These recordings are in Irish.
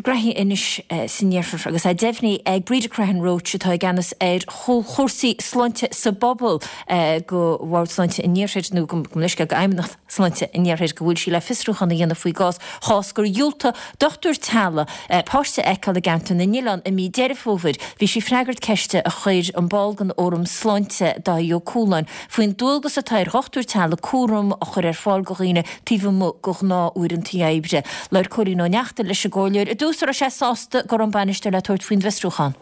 Graithí anois san iarthar agus é deimhnithe ag Breda Crehan Roche atá i gceannas ar chúrsaí sláinte sa bpobal go Bhord Sláinte an Iarthair nó go leithscéal go Fheidhmeannacht Sláinte an Iarthair go bhfuil sí le fiosrúchán a dhéanamh faoi gcás chás gur dhiúltaigh dochtúir teaghlaigh páiste a fheiceáil i gCeantar na nOileán i mí Deireadh Fómhair. Bhí sí ag freagairt ceiste a chuir an ball den Fhóram Sláinte, Dáithí Ó Cualáin, faoin dualgas atá ar dhochtúir teaghlaigh cúram a chur ar fáil go dhaoine taobh amuigh de ghnáth-uaireanta oibre. Labhair Cóilín Ó Neachtain leis an gcomhairleoir i dtús an raibh sé sásta go raibh an bainisteoir le tabhairt faoin bhfiosrúchán.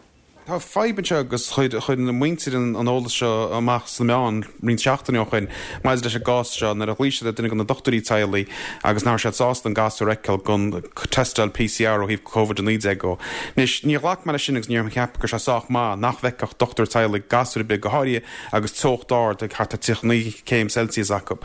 Tá fadhb anseo agus chuir na muintir an eolas seo amach sna meáin roinnt seachtainí ó shoin maidir leis an gcás seo nuair a ghlaoigh siad ar duine de na dochtúirí teaghlaigh agus nach raibh siad sásta an gasúr a fheiceáil don teisteáil PCR ó thaobh Covid-19 dhó. Anois, níor ghlac mé leis sin agus níor cheap go raibh sé sách maith nach bhfeicfeadh dochtúir teaghlaigh gasúr ar bith, go háirithe agus teocht ard ag thart ar 39 céim Celsius acu.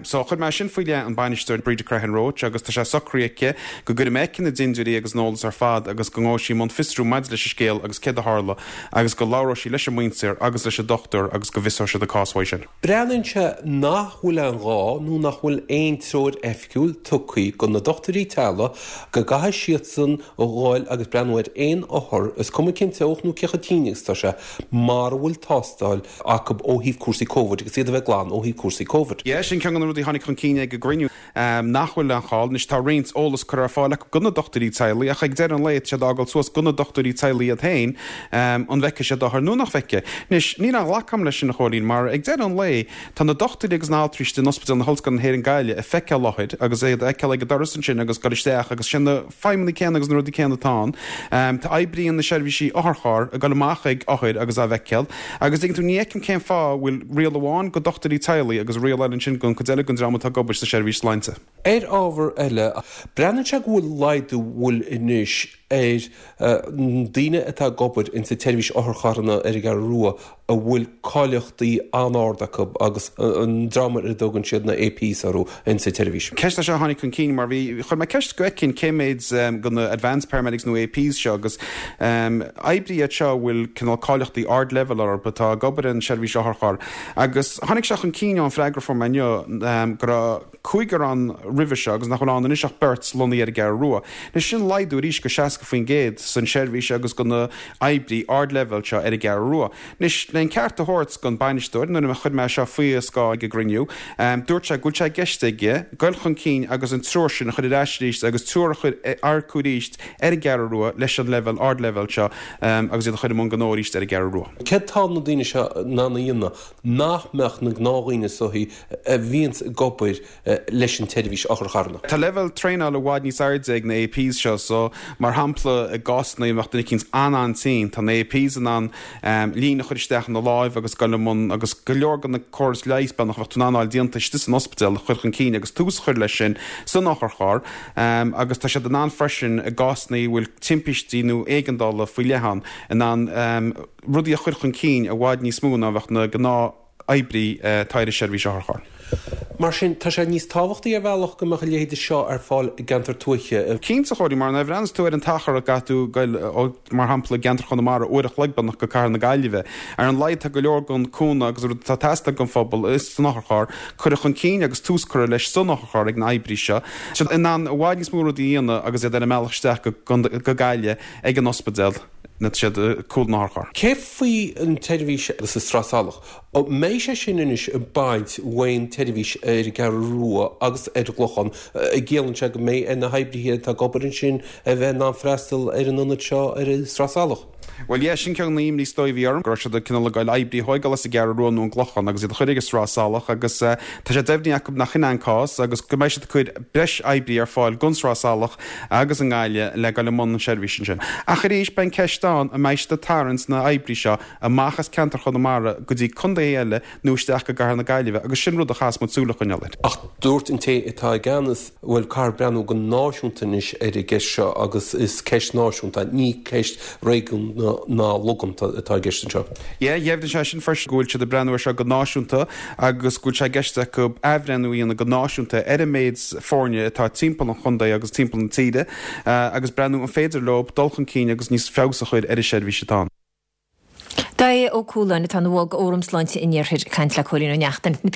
So, chuir mé sin faoi leith an bainisteoir Breda Crehan Roche agus tá sé socraithe aici go gcuirfidh mé aici na dintiúirí agus an eolas ar fad agus go ngabhfaidh sí i mbun fiosrú maidir leis an scéal agus céard a tharla agus go labhróidh sí leis an muintir agus leis an dochtúir agus go bhfiosróidh siad an cás uaidh sin. Breathnaíonn sé nach bhfuil aon ghá nó nach bhfuil aon treoir oifigiúil tugtha go na dochtúirí teaghlaigh go gcaithfidh siadsan a ghabháil agus breathnú ar aon othar, is cuma cén teocht nó cé chomh tinn agus atá sé, mara bhfuil tástáil acu ó thaobh cúrsaí Covid agus iad a bheith glan ó thaobh cúrsaí Covid. Yeah, sin ceann de na rudaí a tháinig chun cinn ag an gcruinniú, nach bhfuil aon chall. Anois, tá roinnt eolas curtha ar fáil acu go na dochtúirí teaghlaigh ach ag deireadh an lae tá siad á fhágáil suas go na dochtúirí teaghlaigh iad féin an bhfeicfidh siad othar nó nach bhfeicfidh. Anois, níl aon ghlacadh agam leis sin, a Chóilín, mar ag deireadh an lae tá na dochtúirí agus na haltraí istigh in Ospidéal na hOllscoile na hÉireann Gaillimh ag feiceáil othair agus iad a fheiceáil ag an doras ansin agus dul isteach agus sin na feidhmeanna céanna agus na rudaí céanna atá ann. Tá oibrithe na seirbhísí otharcharr ag dul amach ag othair agus á bhfeiceáil. Agus tuigeann tú, ní fheicim cén fáth a bhfuil riail amháin go dochtúirí teaghlaigh agus riail eile ansin don chuid eile den dream atá ag obair sa seirbhís sláinte. Ar ábhar eile, breathnaíonn sé go bhfuil laghdú bhfuil anois ar daoine atá ag obair insa tseirbhís otharcharranna ar an gCeathrú Rua a bhfuil cáilíochtaí an-ard acu agus an dream ar a dtugann siad na APs orthu insa tseirbhís. Ceist é seo a tháinig chun cinn mar bhí, chuir mé ceist go bhfeicfinn cé méid de na advanced paramedics nó APs seo agus oibrithe iad seo a bhfuil cineál cáilíochtaí ardleibhéil orthu atá ag obair in seirbhís otharcharr agus tháinig sé chun cinn ón freagra a fuair mé inniu go raibh cúigear ann roimhe seo agus nach bhfuil ann anois ach beirt lonnaithe ar an gCeathrú Rua. Anois sin laghdú arís go 60% san seirbhís agus go na oibrí ardleibhéil seo ar an gCeathrú Rua. Anois, le an ceart a thabhairt don bainisteoir, nuair a chuir mé seo faoi a scáth ag an gcruinniú, dúirt sé go bhfuil sé i gceist aige goil chun cinn agus an triúr sin a chur ar ais arís agus triúr a chur earcú arís ar an gCeathrú Rua leis an leibhéal ardleibhéil seo agus iad a chur i mbun gnó arís ar an gCeathrú Rua. Céard tá na daoine seo in ann a dhéanamh nach mbeadh na gnáthdhaoine soithí a bhíonns ag obair leis an tseirbhís otharcharranna. Tá leibhéal traenála i bhfad níos airde ag na APs seo so mar shampla i gcásanna a mbeadh duine eicínt an-an-tinn tá na APs in ann líne a chur isteach ina láimh agus goil i mbun agus go leor de na córais leighis beagnach a bheadh tú in ann a fháil déanta istigh san ospidéal a chur chun cinn agus tús a chur leis sin san otharcharr agus tá siad in ann freisin i gcásanna a bhfuil timpistí nó éigeandála faoi leith ann in ann rudaí a chur chun cinn i bhfad níos mó ná a bheadh na gnáth-oibrí atá ar an seirbhís otharcharr. Mar sin, tá sé níos tábhachtaí ar bhealach go mbeadh a leithéide seo ar fáil i gceantar tuaithe. Cinnte, a Chóilín, mar nuair a bhreathnaíos tú ar an t-achar a gcaithfidh tú goil ó, mar shampla, i gceantar Chonamara, uair a chloig beagnach go Cathair na Gaillimhe. Ar an laghad tá go leor den cúnamh agus rud atá ag teastáil don phobal san otharcharr curtha chun cinn agus tús curtha leis san otharcharr ag na oibrí seo. Tá siad in ann i bhfad níos mó rudaí a dhéanamh agus iad ar a mbealach isteach go Gaillimh ag an ospidéal. Nó tá siad ag cúl an otharchairr. Cé faoi an tseirbhís sa Sraith Salach? An mbeidh sé sin anois ag baint ón tseirbhís ar an gCeathrú Rua agus ar an gClochán? An gciallaíonn sé go mbeidh ar na hoibrithe atá ag obair ansin a bheith in ann freastal ar an ionad seo ar an Sraith Salach? Bhuel, yeah, sin ceann de na himní is dóigh a bhí orm, go raibh siad ag cineál ag goil oibrí a thóigeáil as an gCeathrú Rua nó an gClochán agus iad a chur ag an Sraith Salach agus tá sé deimhnithe acu nach shin é an cás agus go mbeidh siad ag cur breis oibrí ar fáil don Sraith Salach agus i nGaillimh le goil i mbun an seirbhís ansin. Ach arís, beidh an ceist ann, an mbeidh siad ag tarraingt na oibrí seo amach as ceantar Chonamara go dtí contaetha eile nó isteach go gCathair na Gaillimhe agus sin rud a chaithfeas muid súil a choinneáil air. Ach dúirt an té atá i gceannas, bhuel, caithfear breathnú go náisiúnta anois ar an gceist seo agus is ceist náisiúnta, ní ceist réigiúnach ná logánta atá i gceist anseo. Yeah, dheimhnigh sé sin freisin go bhfuil siad ag breathnú air seo go náisiúnta agus go bhfuil sé i gceist acu athbhreithniú a dhéanamh go náisiúnta ar an méid foirne atá timpeall an chontae agus timpeall na tíre agus breathnú an féidir leo dul chun cinn agus níos feabhas a chur ar an seirbhís atá ann. Dáithí Ó Cualáin atá ina bhall d'Fhóram Sláinte an Iarthair ag caint le Cóilín Ó Neachtain.